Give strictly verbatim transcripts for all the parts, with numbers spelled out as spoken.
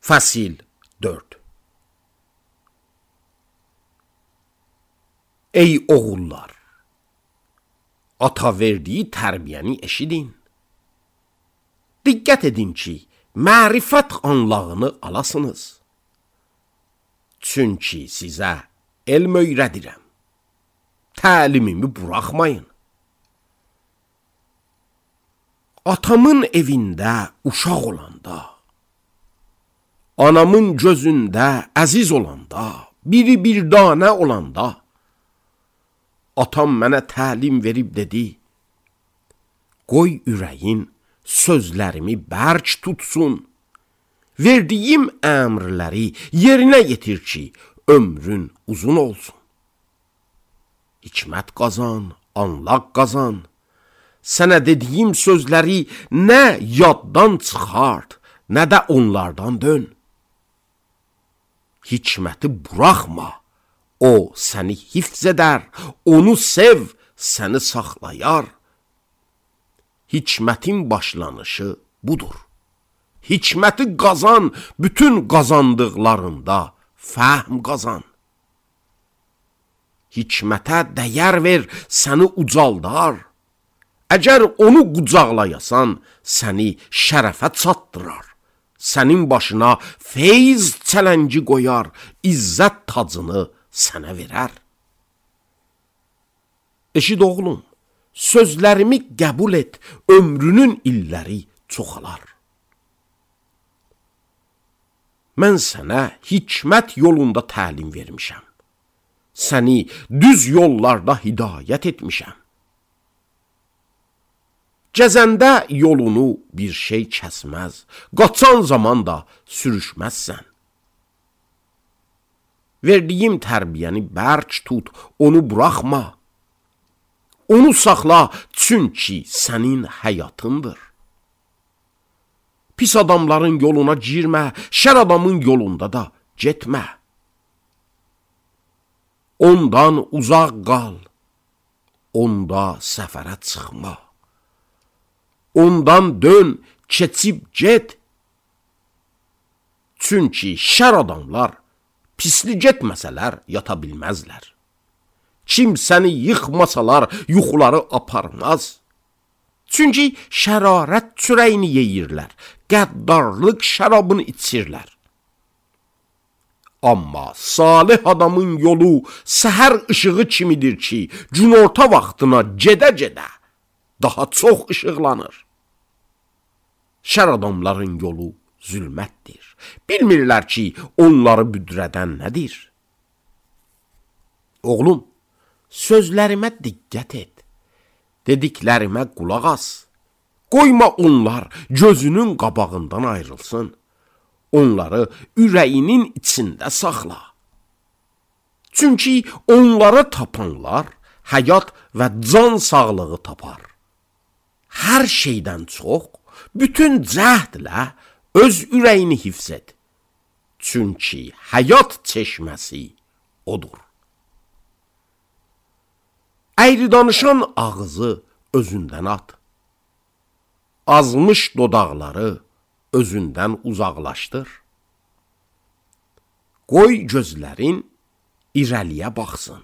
Fəsil dörd. Ey oğullar, ata verdiyi tərbiyəni eşidin. Diqqət edin ki, mərifət anlağını alasınız. Çünki sizə elm öyrədirəm. Təlimimi buraxmayın. Atamın evində uşaq olanda, anamın gözündə əziz olanda, biri bir danə olanda, atam mənə təlim verib dedi, qoy ürəyin sözlərimi bərk tutsun, verdiyim əmrləri yerinə yetir ki, ömrün uzun olsun. Hikmət qazan, anlaq qazan, sənə dediyim sözləri nə yaddan çıxart, nə də onlardan dön. Hikməti buraxma, o səni hifz edər, onu sev, səni saxlayar. Hikmətin başlanışı budur. Hikməti qazan, bütün qazandıqlarında fəhm qazan. Hikmətə dəyər ver, səni ucaldar. Əgər onu qucaqlayasan, səni şərəfə çatdırar. Sənin başına feyz çələngi qoyar, izzət tacını sənə verər. Eşid oğlum, sözlərimi qəbul et, ömrünün illəri çoxalar. Mən sənə hikmət yolunda təlim vermişəm. Səni düz yollarda hidayət etmişəm. Gəzəndə yolunu bir şey kəsməz, qaçan zaman da sürüşməzsən. Verdiyim tərbiyəni bərk tut, onu buraxma. Onu saxla, çünki sənin həyatındır. Pis adamların yoluna girmə, şər adamın yolunda da getmə. Ondan uzaq qal, onda səfərə çıxma. Ondan dön, keçib get. Çünki şər adamlar pisli getməsələr yata bilməzlər. Kim səni yıxmasalar yuxuları aparmaz. Çünki şərarət çörəyini yeyirlər, qəddarlıq şərabını içirlər. Amma salih adamın yolu səhər işığı kimidir ki, günorta vaxtına gedə-gedə daha çox işıqlanır. Şər adamların yolu zülmətdir. Bilmirlər ki, onları büdrədən nədir? Oğlum, sözlərimə diqqət et. Dediklərimə qulaq as. Qoyma onlar gözünün qabağından ayrılsın. Onları ürəyinin içində saxla. Çünki onları tapanlar həyat və can sağlığı tapar. Hər şeydən çox, bütün cəhdlə öz ürəyini hifz et. Çünki həyat çeşməsi odur. Əyri danışan ağzı özündən at. Azmış dodaqları özündən uzaqlaşdır. Qoy gözlərin irəliyə baxsın.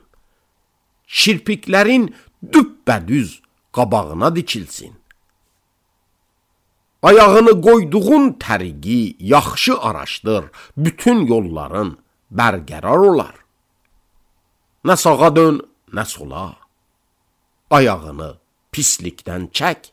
Kirpiklərin düppədüz qabağına dikilsin. Ayağını qoyduğun təriqi yaxşı araşdır, bütün yolların bərqərar olar. Nə sağa dön, nə sola. Ayağını pislikdən çək.